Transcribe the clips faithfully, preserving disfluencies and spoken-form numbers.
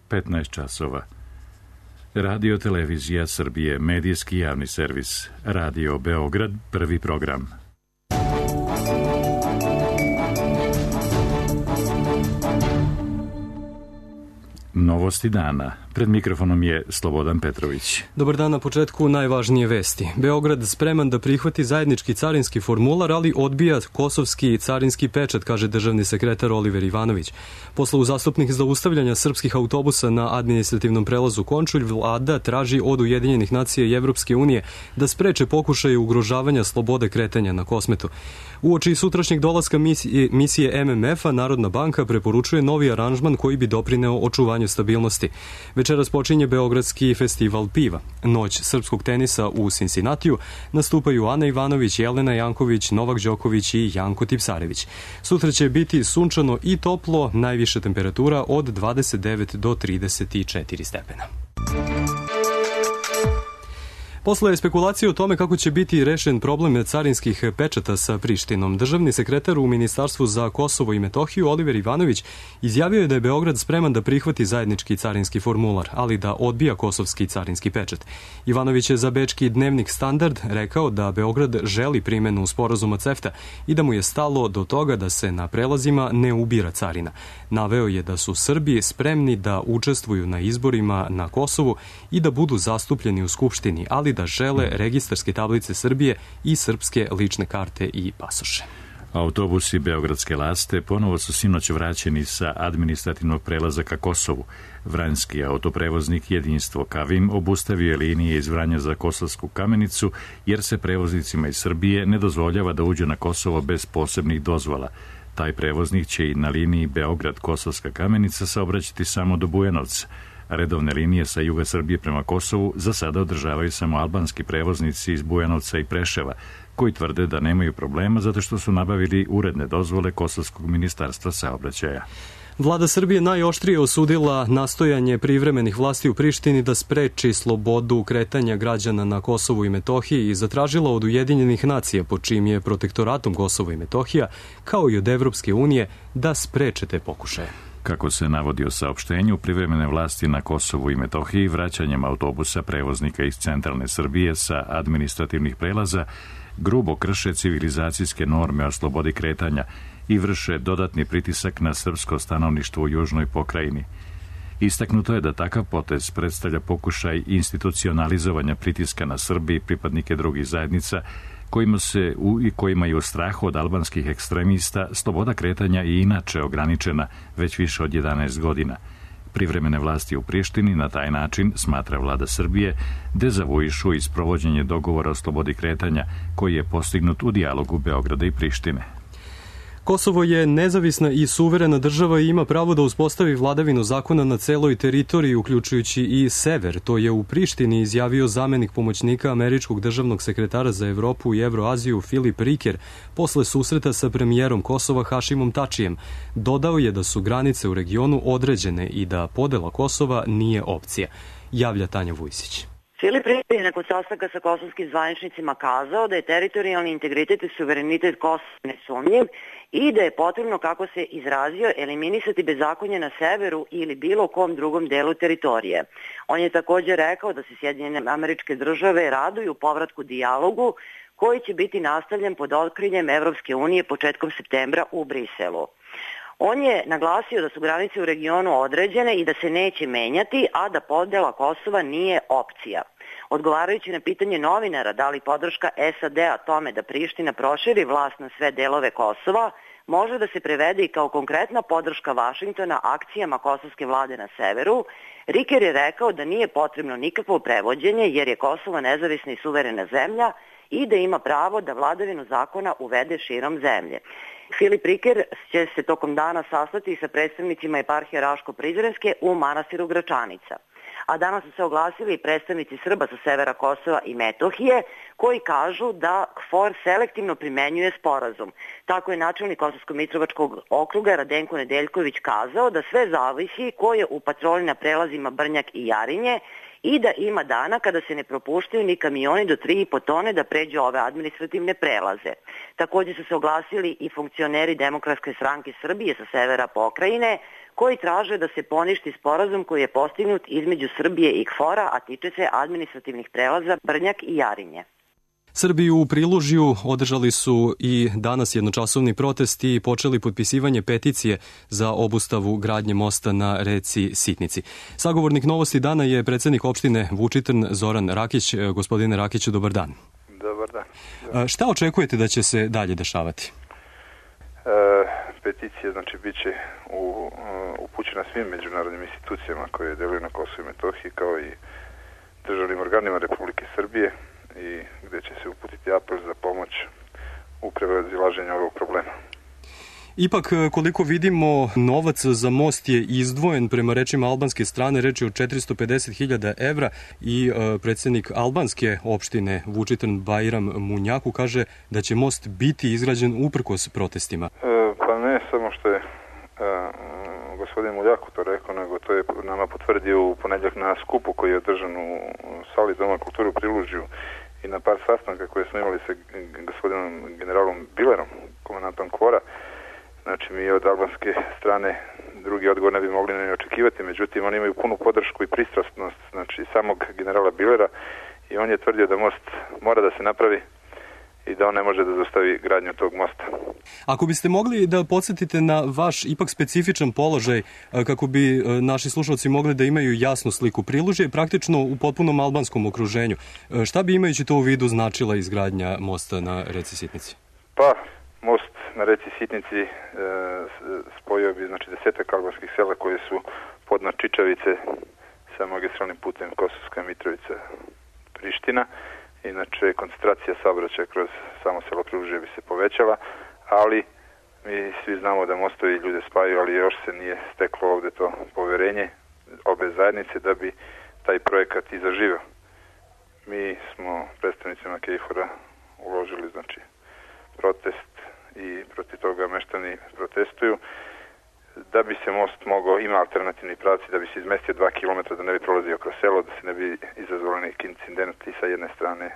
petnaest časova. Radio Televizija Srbije, medijski javni servis. Radio Beograd, prvi program. Novosti dana. Pred mikrofonom je Slobodan Petrović. Dobar dan, na početku najvažnije vesti. Beograd spreman da prihvati zajednički carinski formular, ali odbija kosovski carinski pečat, kaže državni sekretar Oliver Ivanović. Posle uzastopnih zaustavljanja srpskih autobusa na administrativnom prelazu Končulj, vlada traži od Ujedinjenih nacija i Evropske unije da spreče pokušaje ugrožavanja slobode kretanja na Kosmetu. Uoči sutrašnjeg dolaska misije, misije M M F-a, Narodna banka preporučuje novi aranžman koji bi doprineo očuvanju stabilnosti. Večeras počinje Beogradski festival piva. Noć srpskog tenisa u Cincinnatiju nastupaju Ana Ivanović, Jelena Janković, Novak Đoković i Janko Tipsarević. Sutra će biti sunčano i toplo, najviša temperatura od dvadeset devet do trideset četiri stepena. Posle spekulacije o tome kako će biti rešen problem carinskih pečata sa Prištinom, državni sekretar u Ministarstvu za Kosovo i Metohiju Oliver Ivanović izjavio je da je Beograd spreman da prihvati zajednički carinski formular, ali da odbija kosovski carinski pečat. Ivanović je za bečki dnevnik Standard rekao da Beograd želi primenu sporazuma CEFTA i da mu je stalo do toga da se na prelazima ne ubira carina. Naveo je da su Srbi spremni da učestvuju na izborima na Kosovu i da budu zastupljeni u Skupštini, ali da žele registarske tablice Srbije i srpske lične karte i pasoše. Autobusi Beogradske Laste ponovo su sinoć vraćeni sa administrativnog prelaza ka Kosovu. Vranjski autoprevoznik Jedinstvo Kavim obustavio je linije iz Vranja za Kosovsku Kamenicu jer se prevoznicima iz Srbije ne dozvoljava da uđe na Kosovo bez posebnih dozvola. Taj prevoznik će i na liniji Beograd-Kosovska Kamenica saobraćati samo do Bujanovca. Redovne linije sa juga Srbije prema Kosovu za sada održavaju samo albanski prevoznici iz Bujanovca i Preševa, koji tvrde da nemaju problema zato što su nabavili uredne dozvole Kosovskog ministarstva saobraćaja. Vlada Srbije najoštrije osudila nastojanje privremenih vlasti u Prištini da spreči slobodu kretanja građana na Kosovu i Metohiji i zatražila od Ujedinjenih nacija, pod čijim je protektoratom Kosovo i Metohija, kao i od Evropske unije, da spreče te pokušaje. Kako se navodi u saopštenju, privremene vlasti na Kosovu i Metohiji vraćanjem autobusa prevoznika iz centralne Srbije sa administrativnih prelaza grubo krše civilizacijske norme o slobodi kretanja i vrše dodatni pritisak na srpsko stanovništvo u južnoj pokrajini. Istaknuto je da takav potez predstavlja pokušaj institucionalizovanja pritiska na Srbi i pripadnike drugih zajednica kojima se u i kojima je u strahu od albanskih ekstremista sloboda kretanja i inače ograničena već više od jedanaest godina. Privremene vlasti u Prištini na taj način, smatra vlada Srbije, dezavuišu i sprovođenje dogovora o slobodi kretanja koji je postignut u dijalogu Beograda i Prištine. Kosovo je nezavisna i suverena država i ima pravo da uspostavi vladavinu zakona na celoj teritoriji, uključujući i sever. To je u Prištini izjavio zamenik pomoćnika američkog državnog sekretara za Evropu i Evroaziju Filip Riker posle susreta sa premijerom Kosova Hašimom Tačijem. Dodao je da su granice u regionu određene i da podela Kosova nije opcija. Javlja Tanja Vujsić. Filip Riker je nakon sastanka sa kosovskim zvaničnicima kazao da je teritorijalni integritet i suverenitet Kosova nesumnjiv i da je potrebno, kako se izrazio, eliminisati bezakonje na severu ili bilo kom drugom delu teritorije. On je također rekao da se Sjedinjene Američke Države raduju povratku dijalogu koji će biti nastavljen pod otkriljem Evropske unije početkom septembra u Briselu. On je naglasio da su granice u regionu određene i da se neće menjati, a da podela Kosova nije opcija. Odgovarajući na pitanje novinara da li podrška S A D-a tome da Priština proširi vlast na sve delove Kosova može da se prevede i kao konkretna podrška Vašingtona akcijama kosovske vlade na severu, Riker je rekao da nije potrebno nikakvo prevođenje jer je Kosovo nezavisna i suverena zemlja i da ima pravo da vladavinu zakona uvede širom zemlje. Filip Riker će se tokom dana sastati sa predstavnicima eparhije Raško-Prizrenske u manastiru Gračanica. A danas su se oglasili i predstavnici Srba sa severa Kosova i Metohije koji kažu da K F O R selektivno primenjuje sporazum. Tako je načelnik Kosovsko-Mitrovačkog okruga Radenko Nedeljković kazao da sve zavisi ko je u patroli na prelazima Brnjak i Jarinje i da ima dana kada se ne propuštaju ni kamioni do tri i po tone da pređu ove administrativne prelaze. Također su se oglasili i funkcioneri Demokratske stranke Srbije sa severa pokrajine, koji traže da se poništi sporazum koji je postignut između Srbije i K F O R-a, a tiče se administrativnih prelaza Brnjak i Jarinje. Srbiju u Prilužju održali su i danas jednočasovni protest i počeli potpisivanje peticije za obustavu gradnje mosta na reci Sitnici. Sagovornik Novosti dana je predsednik opštine Vučitrn Zoran Rakić. Gospodine Rakiću, dobar dan. Dobar dan. Šta očekujete da će se dalje dešavati? E, peticija znači bit će u, upućena svim međunarodnim institucijama koje deluju na Kosovu i Metohiji, kao i državnim organima Republike Srbije, i gde će se uputiti apel za pomoć u prevazilaženju ovog problema. Ipak, koliko vidimo, novac za most je izdvojen prema rečima albanske strane, reč je o četiristo pedeset hiljada evra i e, predsednik albanske opštine Vučitrn Bajram Munjaku kaže da će most biti izgrađen uprkos protestima. E, pa ne samo što je e, gospodin Muljaku to rekao, nego to je nama potvrdio u ponedjeljak na skupu koji je održan u sali Doma kulture u Prilužju i na par sastanka koje smo imali sa gospodinom generalom Bilerom, komandantom K F O R-a. Znači, mi od albanske strane drugi odgovor ne bi mogli ne očekivati, međutim oni imaju punu podršku i pristrasnost, znači samog generala Bilera, i on je tvrdio da most mora da se napravi i da on ne može da zaustavi gradnju tog mosta. Ako biste mogli da podsjetite na vaš ipak specifičan položaj, kako bi naši slušalci mogli da imaju jasnu sliku. Prilužje je praktično u potpunom albanskom okruženju. Šta bi imajući to u vidu značila izgradnja mosta na reci Sitnici? Pa, most na reci Sitnici e, spojio bi znači desetak albanskih sela koje su podno Čičavice sa magistralnim putem Kosovska Mitrovica Priština. Inače, koncentracija saobraćaja kroz samo selo Prilužje bi se povećala, ali mi svi znamo da mostovi ljude spajaju, ali još se nije steklo ovde to poverenje obe zajednice da bi taj projekat i zaživio. Mi smo predstavnicima K F O R-a uložili znači protest i protiv toga meštani protestuju. Da bi se most mogao, ima alternativni pravci, da bi se izmestio dva kilometra, da ne bi prolazio kroz selo, da se ne bi izazvali neki incidenti sa jedne strane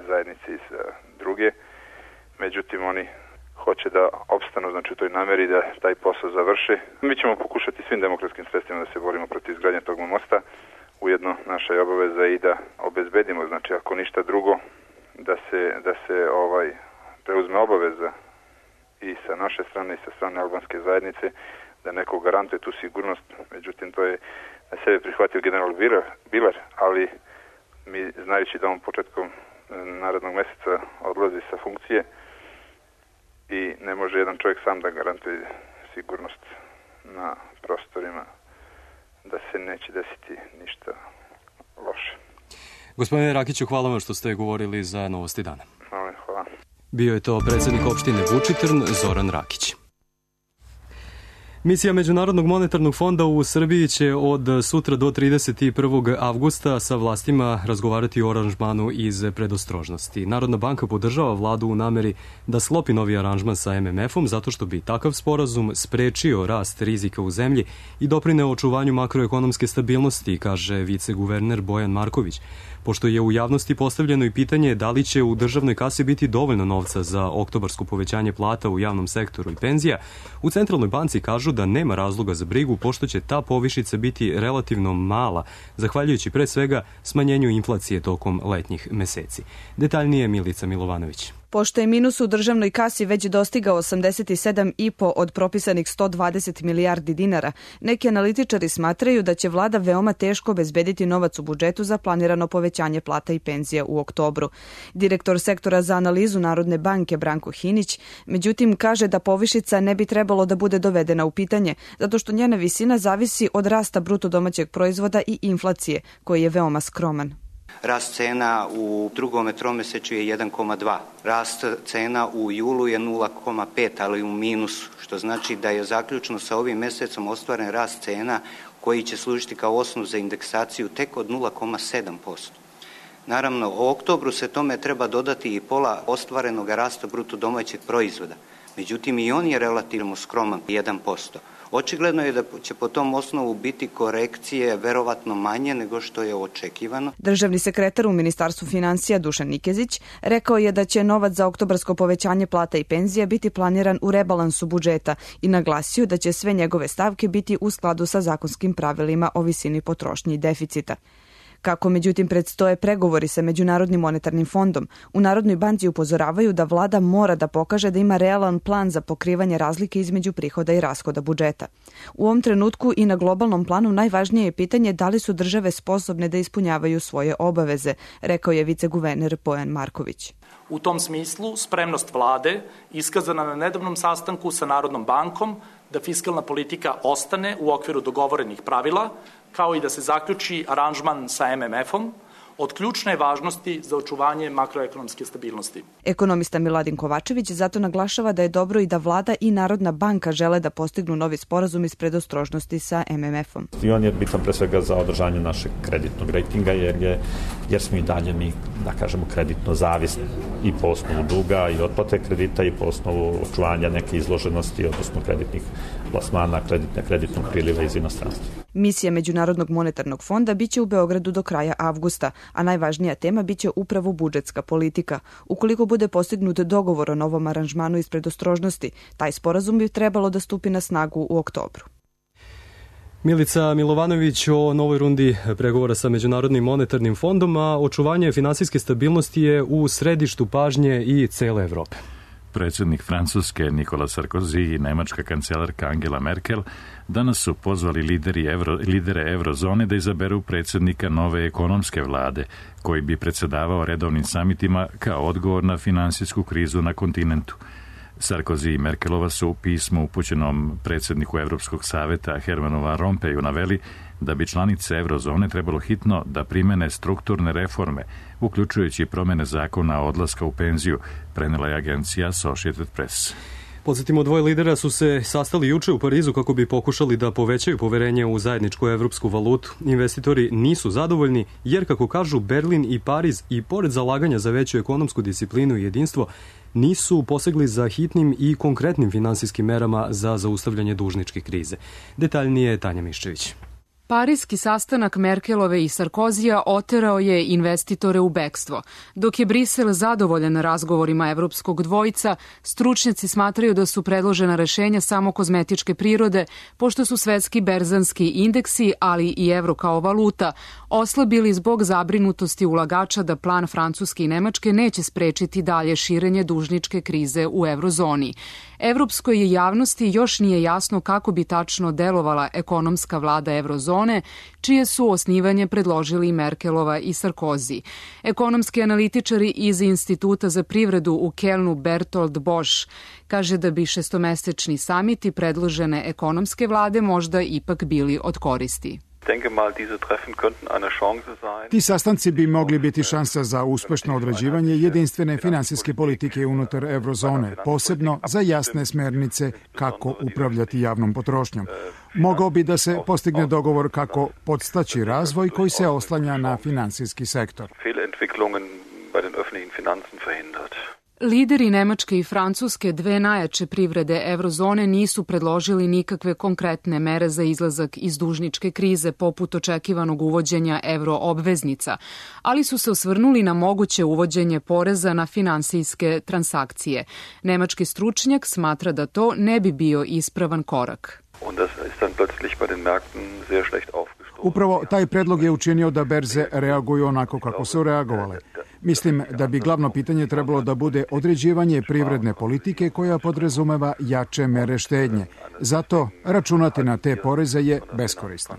zajednice i sa druge. Međutim, oni hoće da opstanu, znači u toj nameri da taj posao završe. Mi ćemo pokušati svim demokratskim sredstvima da se borimo protiv izgradnje tog mosta. Ujedno naša je obaveza i da obezbedimo, znači ako ništa drugo, da se, da se ovaj preuzme obaveza i sa naše strane i sa strane albanske zajednice, da neko garantuje tu sigurnost. Međutim, to je na sebe prihvatio general Biler, ali mi, znajući da on početkom narednog meseca odlazi sa funkcije i ne može jedan čovjek sam da garantuje sigurnost na prostorima, da se neće desiti ništa loše. Gospodine Rakiću, hvala vam što ste govorili za Novosti dana. Hvala, hvala. Bio je to predsednik opštine Vučitrn Zoran Rakić. Misija Međunarodnog monetarnog fonda u Srbiji će od sutra do trideset prvog avgusta sa vlastima razgovarati o aranžmanu iz predostrožnosti. Narodna banka podržava vladu u nameri da sklopi novi aranžman sa M M F-om zato što bi takav sporazum sprečio rast rizika u zemlji i doprineo očuvanju makroekonomske stabilnosti, kaže viceguverner Bojan Marković. Pošto je u javnosti postavljeno i pitanje da li će u državnoj kasi biti dovoljno novca za oktobarsko povećanje plata u javnom sektoru i penzija, u Centralnoj banci kažu da nema razloga za brigu pošto će ta povišica biti relativno mala, zahvaljujući pre svega smanjenju inflacije tokom letnjih meseci. Detaljnije Milica Milovanović. Pošto je minus u državnoj kasi već dostigao osamdeset sedam i po od propisanih sto dvadeset milijardi dinara, neki analitičari smatraju da će vlada veoma teško obezbediti novac u budžetu za planirano povećanje plata i penzija u oktobru. Direktor sektora za analizu Narodne banke Branko Hinić, međutim, kaže da povišica ne bi trebalo da bude dovedena u pitanje, zato što njena visina zavisi od rasta bruto domaćeg proizvoda i inflacije, koji je veoma skroman. Rast cena u drugom tromesečju je jedan zarez dva. Rast cena u julu je nula zarez pet, ali u minusu, što znači da je zaključno sa ovim mesecom ostvaren rast cena koji će služiti kao osnov za indeksaciju tek od nula zarez sedam posto. Naravno, u oktobru se tome treba dodati i pola ostvarenog rasta bruto domaćeg proizvoda. Međutim, i on je relativno skroman, jedan posto. Očigledno je da će po tom osnovu biti korekcije verovatno manje nego što je očekivano. Državni sekretar u Ministarstvu finansija Dušan Nikezić rekao je da će novac za oktobarsko povećanje plata i penzija biti planiran u rebalansu budžeta i naglasio da će sve njegove stavke biti u skladu sa zakonskim pravilima o visini potrošnje i deficita. Kako međutim predstoje pregovori sa Međunarodnim monetarnim fondom, u Narodnoj banci upozoravaju da vlada mora da pokaže da ima realan plan za pokrivanje razlike između prihoda i rashoda budžeta. U ovom trenutku i na globalnom planu najvažnije je pitanje da li su države sposobne da ispunjavaju svoje obaveze, rekao je viceguverner Bojan Marković. U tom smislu, spremnost vlade, iskazana na nedavnom sastanku sa Narodnom bankom, da fiskalna politika ostane u okviru dogovorenih pravila, kao i da se zaključi aranžman sa M M F-om, od ključne važnosti za očuvanje makroekonomske stabilnosti. Ekonomista Miladin Kovačević zato naglašava da je dobro i da vlada i Narodna banka žele da postignu novi sporazum iz predostrožnosti sa M M F-om. I on je bitan pre svega za održanje našeg kreditnog rejtinga, jer, je, jer smo i dalje mi, da kažemo, kreditno zavisni i po osnovu duga i otplate kredita i po osnovu očuvanja neke izloženosti, odnosno kreditnih plasmana, kreditne, kreditnog priliva iz inostranstva. Misija Međunarodnog monetarnog fonda biće u Beogradu do kraja avgusta, a najvažnija tema biće upravo budžetska politika. Ukoliko bude postignut dogovor o novom aranžmanu iz predostrožnosti, taj sporazum bi trebalo da stupi na snagu u oktobru. Milica Milovanović o novoj rundi pregovora sa Međunarodnim monetarnim fondom, a očuvanje finansijske stabilnosti je u središtu pažnje i cele Evrope. Predsjednik Francuske Nikola Sarkozy i nemačka kancelarka Angela Merkel danas su pozvali lideri evro, lidere eurozone da izaberu predsjednika nove ekonomske vlade, koji bi predsjedavao redovnim samitima kao odgovor na finansijsku krizu na kontinentu. Sarkozy i Merkelova su u pismu upućenom predsjedniku Evropskog saveta Hermanu Van Rompuyu naveli da bi članice eurozone trebalo hitno da primene strukturne reforme, uključujući promjene zakona o odlaska u penziju, prenela je agencija Associated Press. Podsjetimo, dvoje lidera su se sastali juče u Parizu kako bi pokušali da povećaju poverenje u zajedničku evropsku valutu. Investitori nisu zadovoljni jer, kako kažu, Berlin i Pariz i pored zalaganja za veću ekonomsku disciplinu i jedinstvo, nisu posegli za hitnim i konkretnim finansijskim merama za zaustavljanje dužničke krize. Detaljnije Tanja Miščević. Parijski sastanak Merkelove i Sarkozija oterao je investitore u bekstvo. Dok je Brisel zadovoljan razgovorima evropskog dvojica, stručnjaci smatraju da su predložena rešenja samo kozmetičke prirode, pošto su svetski berzanski indeksi, ali i evro kao valuta, oslabili zbog zabrinutosti ulagača da plan Francuske i Nemačke neće sprečiti dalje širenje dužničke krize u eurozoni. Evropskoj javnosti još nije jasno kako bi tačno delovala ekonomska vlada eurozone, čije su osnivanje predložili Merkelova i Sarkozy. Ekonomski analitičari iz Instituta za privredu u Kelnu Bertolt Bosch kaže da bi šestomesečni samiti predložene ekonomske vlade možda ipak bili od koristi. Ti sastanci bi mogli biti šansa za uspešno određivanje jedinstvene finansijske politike unutar eurozone, posebno za jasne smernice kako upravljati javnom potrošnjom. Mogao bi da se postigne dogovor kako podstaći razvoj koji se oslanja na finansijski sektor. Lideri Nemačke i Francuske, dve najjače privrede eurozone, nisu predložili nikakve konkretne mere za izlazak iz dužničke krize poput očekivanog uvođenja euroobveznica, ali su se osvrnuli na moguće uvođenje poreza na finansijske transakcije. Nemački stručnjak smatra da to ne bi bio ispravan korak. Upravo taj predlog je učinio da berze reaguju onako kako su reagovale. Mislim da bi glavno pitanje trebalo da bude određivanje privredne politike koja podrazumeva jače mere štednje. Zato računati na te poreze je beskorisno.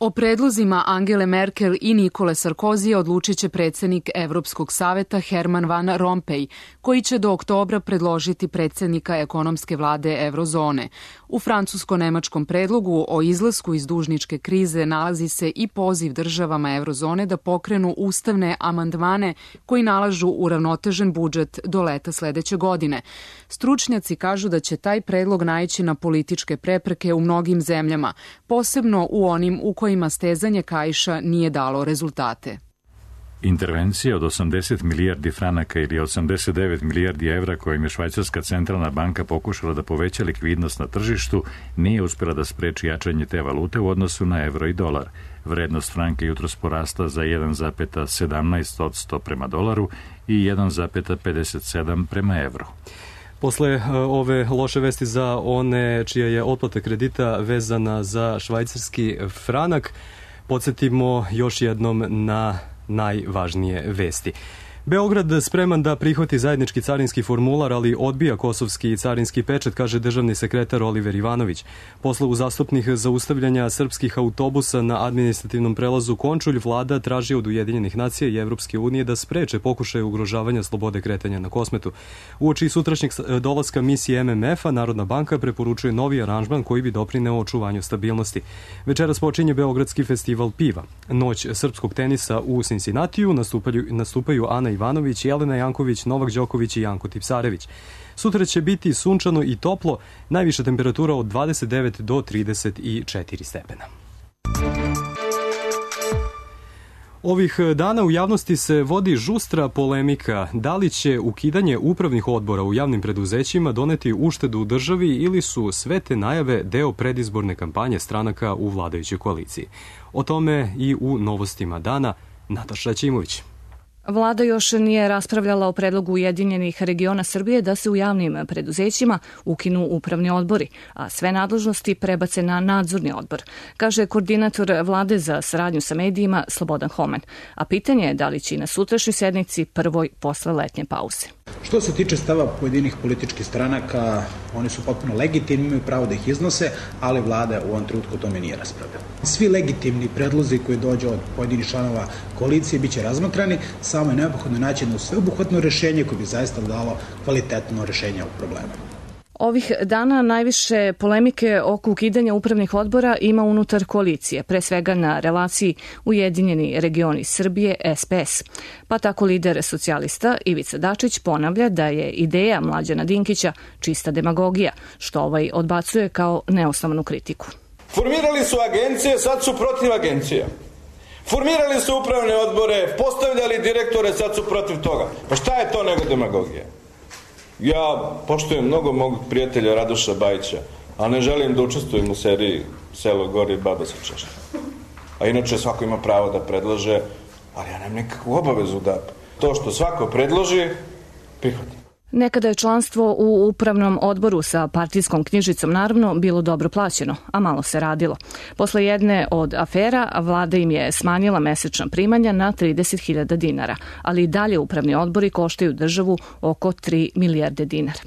O predlozima Angele Merkel i Nikole Sarkozija odlučit će predsjednik Evropskog saveta Herman Van Rompuy, koji će do oktobra predložiti predsjednika ekonomske vlade eurozone. U francusko-nemačkom predlogu o izlasku iz dužničke krize nalazi se i poziv državama eurozone da pokrenu ustavne amandmane koji nalažu uravnotežen budžet do leta sledeće godine. Stručnjaci kažu da će taj predlog naići na političke prepreke u mnogim zemljama, posebno u onim u kojima stezanje kaiša nije dalo rezultate. Intervencija od osamdeset milijardi franaka ili osamdeset devet milijardi evra kojim je Švajcarska centralna banka pokušala da poveća likvidnost na tržištu nije uspjela da spreči jačanje te valute u odnosu na evro i dolar. Vrednost franka jutros porasla za jedan zarez sedamnaest posto prema dolaru i jedan zarez pedeset sedam prema evru. Posle ove loše vesti za one čija je otplata kredita vezana za švajcarski franak, podsjetimo još jednom na najvažnije vesti. Beograd spreman da prihvati zajednički carinski formular, ali odbija kosovski carinski pečat, kaže državni sekretar Oliver Ivanović. Posle uzastopnih zaustavljanja srpskih autobusa na administrativnom prelazu Končulj, vlada traži od Ujedinjenih nacija i Evropske unije da spreče pokušaje ugrožavanja slobode kretanja na Kosmetu. Uoči sutrašnjeg dolaska misije M M F-a, Narodna banka preporučuje novi aranžman koji bi doprineo očuvanju stabilnosti. Večeras počinje Beogradski festival piva. Noć srpskog tenisa u Cincinnatiju nastupaju, nastupaju Ana Ivanović, Jelena Janković, Novak Đoković i Janko Tipsarević. Sutra će biti sunčano i toplo, najviša temperatura od dvadeset devet do trideset četiri stepena. Ovih dana u javnosti se vodi žustra polemika da li će ukidanje upravnih odbora u javnim preduzećima doneti uštedu u državi ili su sve te najave deo predizborne kampanje stranaka u vladajućoj koaliciji. O tome i u novostima dana Nataša Ćimović. Vlada još nije raspravljala o predlogu Ujedinjenih regiona Srbije da se u javnim preduzećima ukinu upravni odbori, a sve nadležnosti prebace na nadzorni odbor, kaže koordinator vlade za saradnju sa medijima Slobodan Homen. A pitanje je da li će i na sutrašnjoj sednici prvoj posle letnje pauze. Što se tiče stava pojedinih političkih stranaka, oni su potpuno legitimni, imaju pravo da ih iznose, ali vlada u ovom trenutku o tome nije raspravljala. Svi legitimni predlozi koji dođe od pojedinih članova koalicije biće razmatrani, samo je neophodno naći jedno sveobuhvatno rešenje koje bi zaista dalo kvalitetno rešenje ovog problema. Ovih dana najviše polemike oko ukidanja upravnih odbora ima unutar koalicije, pre svega na relaciji Ujedinjeni regioni Srbije S P S. Pa tako lider socijalista Ivica Dačić ponavlja da je ideja Mlađana Dinkića čista demagogija, što ovaj odbacuje kao neosnovanu kritiku. Formirali su agencije, sad su protiv agencija. Formirali su upravne odbore, postavljali direktore, sad su protiv toga. Pa šta je to nego demagogija? Ja poštujem mnogo mog prijatelja Radoša Bajića, a ne želim da učestvujem u seriji Selo gori, baba se češlja. A inače svako ima pravo da predlaže, ali ja nemam nikakvu obavezu da to što svako predloži, prihvatim. Nekada je članstvo u upravnom odboru sa partijskom knjižicom naravno bilo dobro plaćeno, a malo se radilo. Posle jedne od afera, vlada im je smanjila mesečna primanja na trideset hiljada dinara, ali i dalje upravni odbori koštaju državu oko tri milijarde dinara.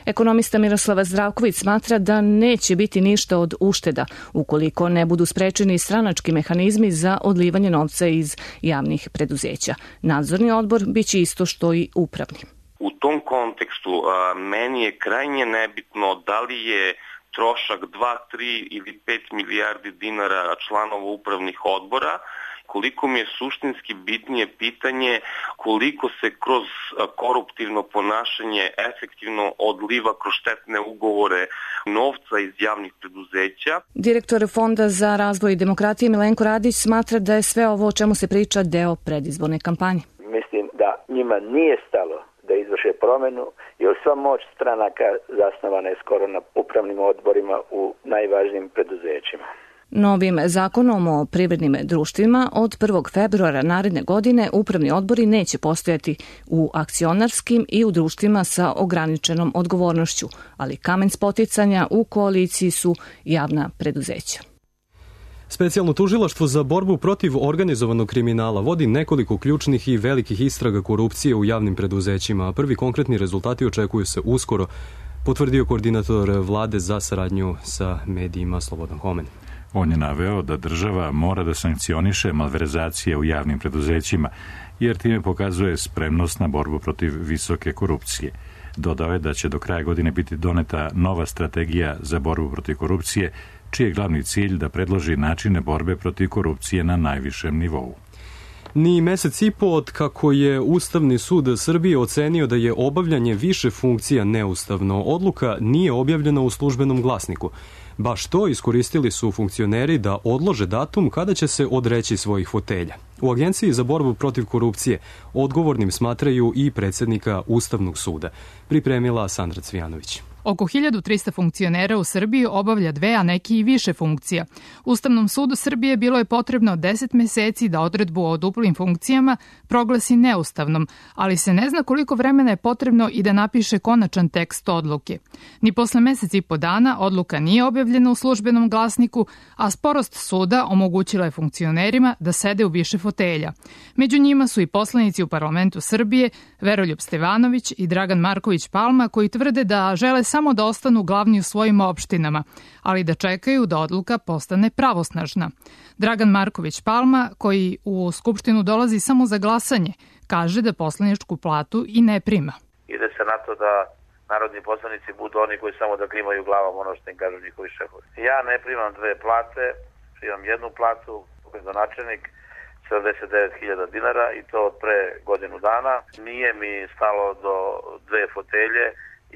Ekonomista Miroslava Zdravković smatra da neće biti ništa od ušteda ukoliko ne budu sprečeni stranački mehanizmi za odlivanje novca iz javnih preduzeća. Nadzorni odbor biće isto što i upravni. U tom kontekstu a, meni je krajnje nebitno da li je trošak dva, tri ili pet milijardi dinara članova upravnih odbora, koliko mi je suštinski bitnije pitanje koliko se kroz koruptivno ponašanje efektivno odliva kroz štetne ugovore novca iz javnih preduzeća. Direktor Fonda za razvoj demokratije Milenko Radić smatra da je sve ovo o čemu se priča deo predizborne kampanje. Mislim da njima nije stalo da izvrše promenu, jer sva moć stranaka zasnovana je skoro na upravnim odborima u najvažnijim preduzećima. Novim zakonom o privrednim društvima od prvog februara naredne godine upravni odbori neće postojati u akcionarskim i u društvima sa ograničenom odgovornošću, ali kamen spoticanja u koaliciji su javna preduzeća. Specijalno tužilaštvo za borbu protiv organizovanog kriminala vodi nekoliko ključnih i velikih istraga korupcije u javnim preduzećima, a prvi konkretni rezultati očekuju se uskoro, potvrdio koordinator vlade za saradnju sa medijima Slobodan Homen. On je naveo da država mora da sankcioniše malverzacije u javnim preduzećima, jer time pokazuje spremnost na borbu protiv visoke korupcije. Dodao je da će do kraja godine biti doneta nova strategija za borbu protiv korupcije, čiji je glavni cilj da predloži načine borbe protiv korupcije na najvišem nivou. Ni mesec i po od kako je Ustavni sud Srbije ocenio da je obavljanje više funkcija neustavno, odluka nije objavljena u službenom glasniku. Baš to iskoristili su funkcioneri da odlože datum kada će se odreći svojih fotelja. U Agenciji za borbu protiv korupcije odgovornim smatraju i predsjednika Ustavnog suda, pripremila Sandra Cvijanović. Oko hiljadu trista funkcionera u Srbiji obavlja dve, a neki i više funkcija. Ustavnom sudu Srbije bilo je potrebno deset meseci da odredbu o duplim funkcijama proglasi neustavnom, ali se ne zna koliko vremena je potrebno i da napiše konačan tekst odluke. Ni posle meseci i po dana odluka nije objavljena u službenom glasniku, a sporost suda omogućila je funkcionerima da sede u više fotelja. Među njima su i poslanici u parlamentu Srbije, Veroljub Stevanović i Dragan Marković Palma, koji tvrde da žele samo da ostanu glavni u svojim opštinama, ali da čekaju da odluka postane pravosnažna. Dragan Marković Palma, koji u Skupštinu dolazi samo za glasanje, kaže da poslaničku platu i ne prima. Ide se na to da narodni poslanici budu oni koji samo da klimaju glavom ono što im kažu njihovi šefovi. Ja ne primam dve plate, primam jednu platu, gradonačelnik, sedamdeset devet hiljada dinara i to od pre godinu dana. Nije mi stalo do dve fotelje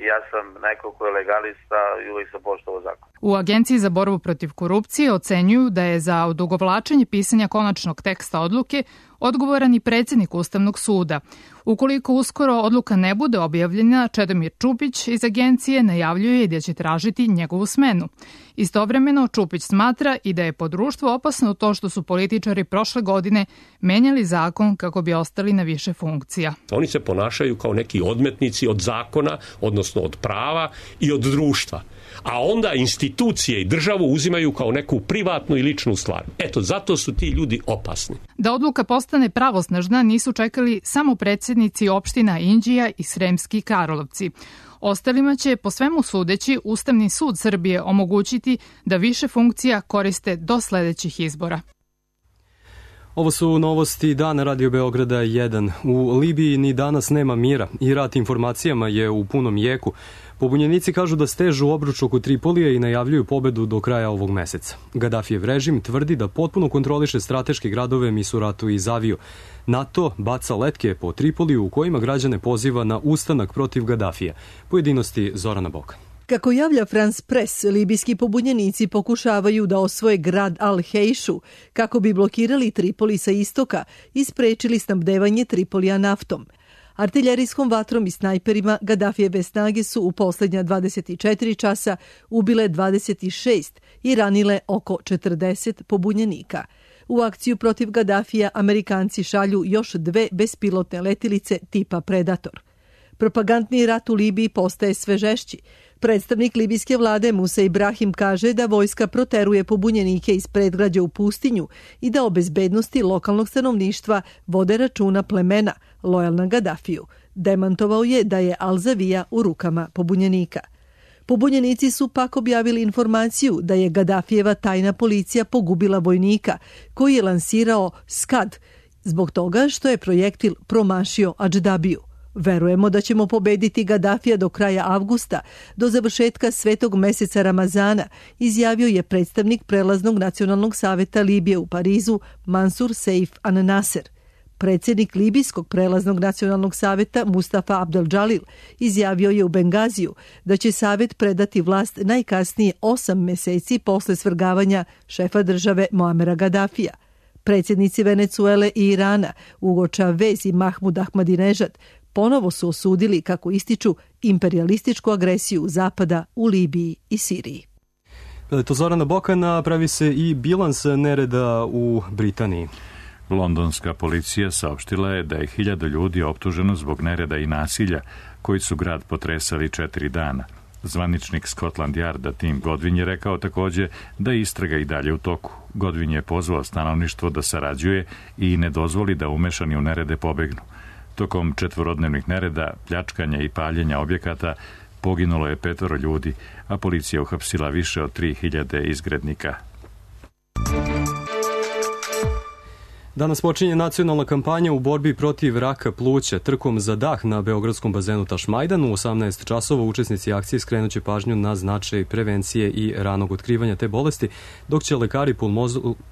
i ja sam neko ko je legalista i uvijek sam poštovao zakon. U Agenciji za borbu protiv korupcije ocenjuju da je za odugovlačenje pisanja konačnog teksta odluke odgovoran i predsjednik Ustavnog suda. Ukoliko uskoro odluka ne bude objavljena, Čedomir Čupić iz agencije najavljuje da će tražiti njegovu smenu. Istovremeno, Čupić smatra i da je po društvu opasno to što su političari prošle godine menjali zakon kako bi ostali na više funkcija. Oni se ponašaju kao neki odmetnici od zakona, odnosno od prava i od društva. A onda institucije i državu uzimaju kao neku privatnu i ličnu stvar. Eto, zato su ti ljudi opasni. Da odluka postane pravosnažna nisu čekali samo predsjednici opština Inđija i Sremski Karlovci. Ostalima će, po svemu sudeći, Ustavni sud Srbije omogućiti da više funkcija koriste do sledećih izbora. Ovo su novosti Dana Radio Beograda jedan. U Libiji ni danas nema mira i rat informacijama je u punom jeku. Pobunjenici kažu da stežu obruč oko Tripolija i najavljuju pobedu do kraja ovog meseca. Gaddafijev režim tvrdi da potpuno kontroliše strateške gradove Misuratu i Zaviju. NATO baca letke po Tripoliju u kojima građane poziva na ustanak protiv Gaddafija. Pojedinosti Zorana Boka. Kako javlja France Press, libijski pobunjenici pokušavaju da osvoje grad Al-Hejšu kako bi blokirali Tripoli sa istoka i sprečili snabdevanje Tripolija naftom. Artiljerijskom vatrom i snajperima Gaddafijeve snage su u poslednja dvadeset četiri časa ubile dvadeset šest i ranile oko četrdeset pobunjenika. U akciju protiv Gaddafija Amerikanci šalju još dve bespilotne letilice tipa Predator. Propagandni rat u Libiji postaje sve žešći. Predstavnik libijske vlade Musa Ibrahim kaže da vojska proteruje pobunjenike iz predgrađa u pustinju i da o bezbednosti lokalnog stanovništva vode računa plemena lojalna Gaddafiju. Demantovao je da je Al-Zavija u rukama pobunjenika. Pobunjenici su pak objavili informaciju da je Gaddafijeva tajna policija pogubila vojnika koji je lansirao Skad zbog toga što je projektil promašio Adždabiju. Verujemo da ćemo pobediti Gaddafija do kraja avgusta, do završetka svetog meseca Ramazana, izjavio je predstavnik Prelaznog nacionalnog saveta Libije u Parizu Mansur Seif an-Nasser. Predsjednik Libijskog Prelaznog nacionalnog saveta Mustafa Abdel Džalil izjavio je u Bengaziju da će savet predati vlast najkasnije osam meseci posle svrgavanja šefa države Muamera Gaddafija. Predsjednici Venecuele i Irana, Hugo Chavez i Mahmud Ahmadinejad, ponovo su osudili, kako ističu, imperialističku agresiju Zapada u Libiji i Siriji. To Zorana Bokana, pravi se i bilans nereda u Britaniji. Londonska policija saopštila je da je hiljadu ljudi optuženo zbog nereda i nasilja koji su grad potresali četiri dana. Zvaničnik Scotland Yarda Tim Godwin je rekao takođe da je istraga i dalje u toku. Godwin je pozvao stanovništvo da sarađuje i ne dozvoli da umešani u nerede pobegnu. Tokom četvorodnevnih nereda, pljačkanja i paljenja objekata poginulo je petoro ljudi, a policija uhapsila više od tri hiljade izgrednika. Danas počinje nacionalna kampanja u borbi protiv raka pluća. Trkom za dah na beogradskom bazenu Tašmajdan u osamnaest časova učesnici akcije skrenuće pažnju na značaj prevencije i ranog otkrivanja te bolesti, dok će lekari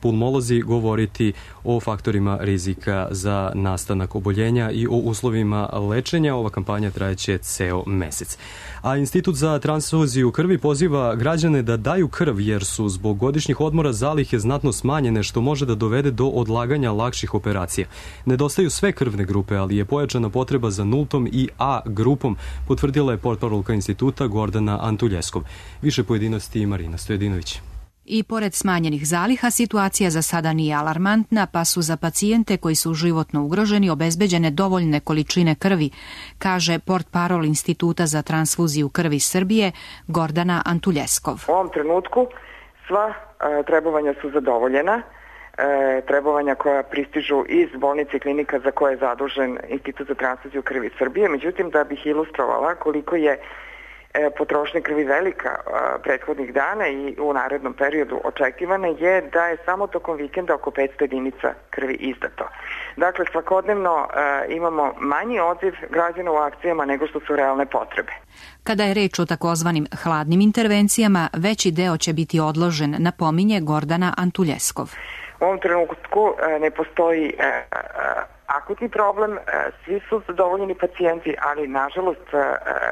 pulmolozi govoriti o faktorima rizika za nastanak oboljenja i o uslovima lečenja. Ova kampanja trajeće ceo mesec. A Institut za transfuziju krvi poziva građane da daju krv jer su zbog godišnjih odmora zalihe znatno smanjene, što može da dovede do odlaganja lakših operacija. Nedostaju sve krvne grupe, ali je pojačana potreba za nultom i A grupom, potvrdila je portparolka instituta Gordana Antuljeskov. Više pojedinosti Marina Stojedinović. I pored smanjenih zaliha, situacija za sada nije alarmantna, pa su za pacijente koji su životno ugroženi obezbeđene dovoljne količine krvi, kaže portparol Instituta za transfuziju krvi Srbije Gordana Antuljeskov. U ovom trenutku sva e, trebovanja su zadovoljena. E, trebovanja koja pristižu iz bolnice i klinika za koje je zadužen Institut za transfuziju krvi Srbije. Međutim, da bih ilustrovala koliko je e, potrošnja krvi velika e, prethodnih dana i u narednom periodu očekivana je da je samo tokom vikenda oko petsto jedinica krvi izdato. Dakle, svakodnevno e, imamo manji odziv građana u akcijama nego što su realne potrebe. Kada je reč o takozvanim hladnim intervencijama, veći deo će biti odložen, napominje Gordana Antuljeskov. U ovom trenutku ne postoji e, e, akutni problem, e, svi su zadovoljeni pacijenti, ali nažalost e,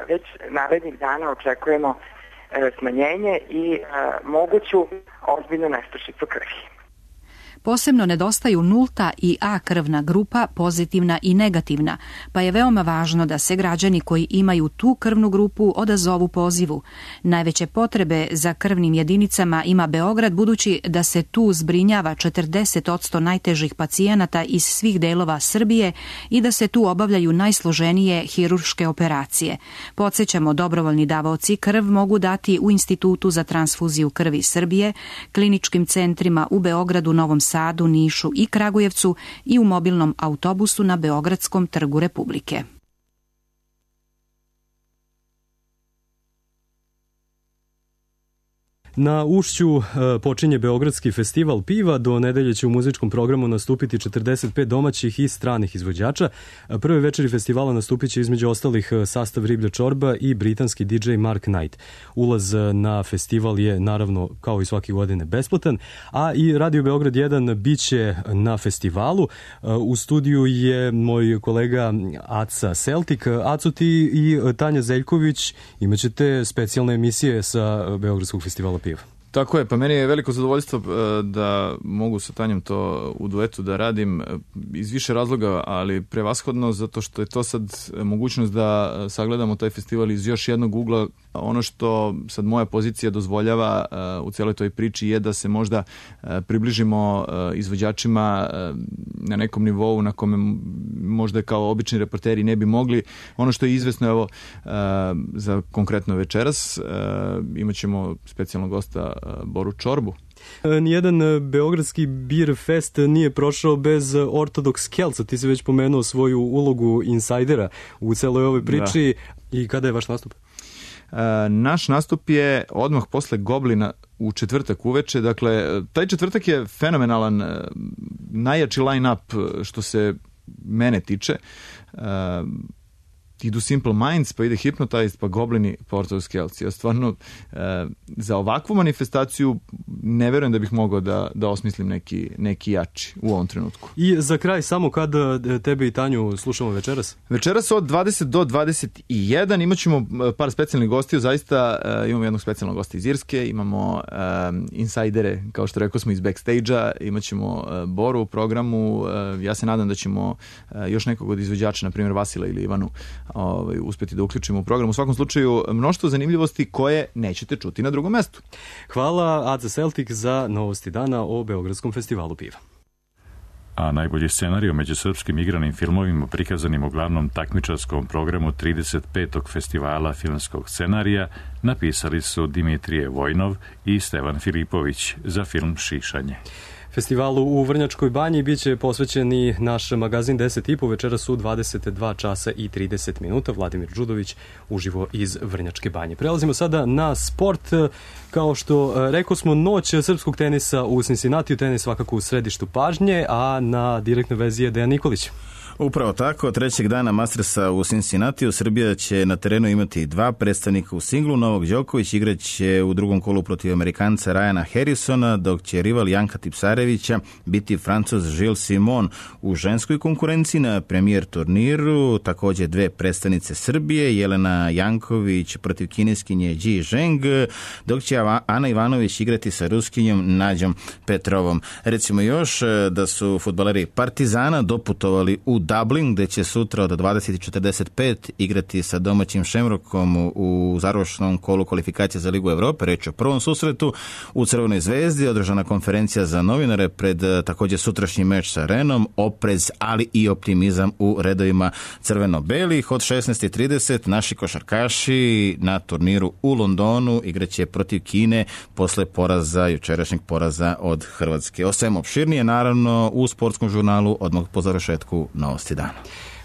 već narednih dana očekujemo e, smanjenje i e, moguću ozbiljnu nestašicu krvi. Posebno nedostaju nulta i A krvna grupa, pozitivna i negativna, pa je veoma važno da se građani koji imaju tu krvnu grupu odazovu pozivu. Najveće potrebe za krvnim jedinicama ima Beograd, budući da se tu zbrinjava četrdeset posto najtežih pacijenata iz svih delova Srbije i da se tu obavljaju najsloženije hirurške operacije. Podsećamo, dobrovoljni davaoci krv mogu dati u Institutu za transfuziju krvi Srbije, kliničkim centrima u Beogradu, Novom Sadu, Nišu i Kragujevcu i u mobilnom autobusu na Beogradskom trgu Republike. Na Ušću počinje Beogradski festival piva. Do nedelje će u muzičkom programu nastupiti četrdeset pet domaćih i stranih izvođača. Prve večeri festivala nastupit će između ostalih sastav Riblja čorba i britanski di džej Mark Knight. Ulaz na festival je naravno kao i svake godine besplatan, a i Radio Beograd jedan biće na festivalu. U studiju je moj kolega Aca Celtic. Aco, ti i Tanja Zeljković imaćete specijalne emisije sa Beogradskog festivala piva. Tako je, pa meni je veliko zadovoljstvo da mogu sa Tanjom to u duetu da radim iz više razloga, ali prevashodno zato što je to sad mogućnost da sagledamo taj festival iz još jednog ugla. Ono što sad moja pozicija dozvoljava u cijeloj toj priči je da se možda približimo izvođačima na nekom nivou na kome možda kao obični reporteri ne bi mogli. Ono što je izvesno, evo, za konkretno večeras imat ćemo specijalnog gosta Boru Čorbu. Nijedan beogradski beer fest nije prošao bez Ortodoks Kelca. Ti si već pomenuo svoju ulogu insajdera u celoj ovoj priči. Da. I kada je vaš nastup? Naš nastup je odmah posle Goblina u četvrtak uveče. Dakle, taj četvrtak je fenomenalan, najjači line-up što se mene tiče. Idu Simple Minds, pa ide Hypnotized, pa Goblini, pa Ortodoks Kelci. Ja stvarno e, za ovakvu manifestaciju ne verujem da bih mogao da, da osmislim neki, neki jači u ovom trenutku. I za kraj, samo kada tebe i Tanju slušamo večeras? Večeras od dvadeset do dvadeset jedan imat ćemo par specijalnih gostiju. Zaista e, imamo jednog specijalnog gosta iz Irske, imamo e, insajdere, kao što rekao smo, iz backstage-a, imat ćemo e, Boru u programu. E, ja se nadam da ćemo e, još nekog od izvođača, na primjer Vasila ili Ivanu, Ovaj, uspjeti da uključimo u program. U svakom slučaju, mnoštvo zanimljivosti koje nećete čuti na drugom mestu. Hvala Aca Celtic za novosti dana o Beogradskom festivalu piva. A najbolji scenarij među srpskim igranim filmovima prikazanim u glavnom takmičarskom programu trideset petog festivala filmskog scenarija napisali su Dimitrije Vojnov i Stevan Filipović za film Šišanje. Festivalu u Vrnjačkoj banji biće posvećeni naš magazin deset i po večeras u dvadeset dva časa i trideset minuta. Vladimir Đudović uživo iz Vrnjačke banje. Prelazimo sada na sport. Kao što rekao smo, noć srpskog tenisa u Cincinnatiju, tenis svakako u središtu pažnje, a na direktnoj vezi je Dejan Nikolić. Upravo tako, trećeg dana Mastersa u Cincinnatiju Srbija će na terenu imati dva predstavnika u singlu. Novak Đoković igraće u drugom kolu protiv Amerikanca Ryana Harrisona, dok će rival Janka Tipsarevića biti Francuz Gilles Simon. U ženskoj konkurenciji na premijer turniru također dve predstavnice Srbije, Jelena Janković protiv kineskinje Ji Zheng, dok će Ana Ivanović igrati sa Ruskinjom Nađom Petrovom. Recimo još da su fudbaleri Partizana doputovali u Dublin, gde će sutra od dvadeset četrdeset pet igrati sa domaćim Šemrokom u završnom kolu kvalifikacije za Ligu Evrope. Reč o prvom susretu. U Crvenoj zvezdi održana konferencija za novinare pred također sutrašnji meč sa Renom, oprez, ali i optimizam u redovima crveno-belih. Od šesnaest i trideset naši košarkaši na turniru u Londonu igraće protiv Kine posle poraza, jučerašnjeg poraza od Hrvatske. O svemu opširnije, naravno, u sportskom žurnalu odmah po završetku novosti dana.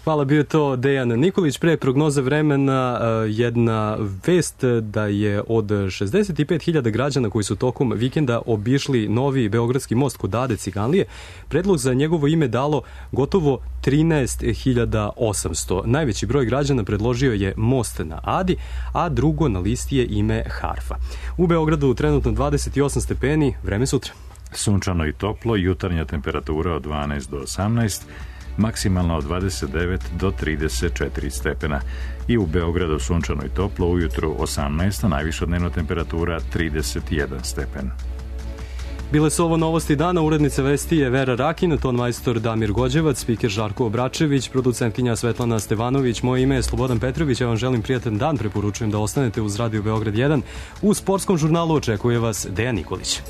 Hvala, bio je to Dejan Nikolić. Pre prognoze vremena jedna vest da je od šezdeset pet hiljada građana koji su tokom vikenda obišli novi Beogradski most kod Ade Ciganlije, predlog za njegovo ime dalo gotovo trinaest hiljada osamsto. Najveći broj građana predložio je most na Adi, a drugo na listi je ime Harfa. U Beogradu trenutno dvadeset osam stepeni, vreme sutra. Sunčano i toplo, jutarnja temperatura od dvanaest do osamnaest, maksimalno od dvadeset devet do trideset četiri stepena. I u Beogradu sunčano i toplo, ujutru osamnaest, a najviša dnevna temperatura trideset jedan stepen. Bile su ovo novosti dana, urednica vesti je Vera Rakin, ton majstor Damir Gođevac, spiker Žarko Obračević, producentkinja Svetlana Stevanović, moje ime je Slobodan Petrović, ja vam želim prijatan dan, preporučujem da ostanete uz Radio Beograd jedan. U sportskom žurnalu očekuje vas Dejan Nikolić.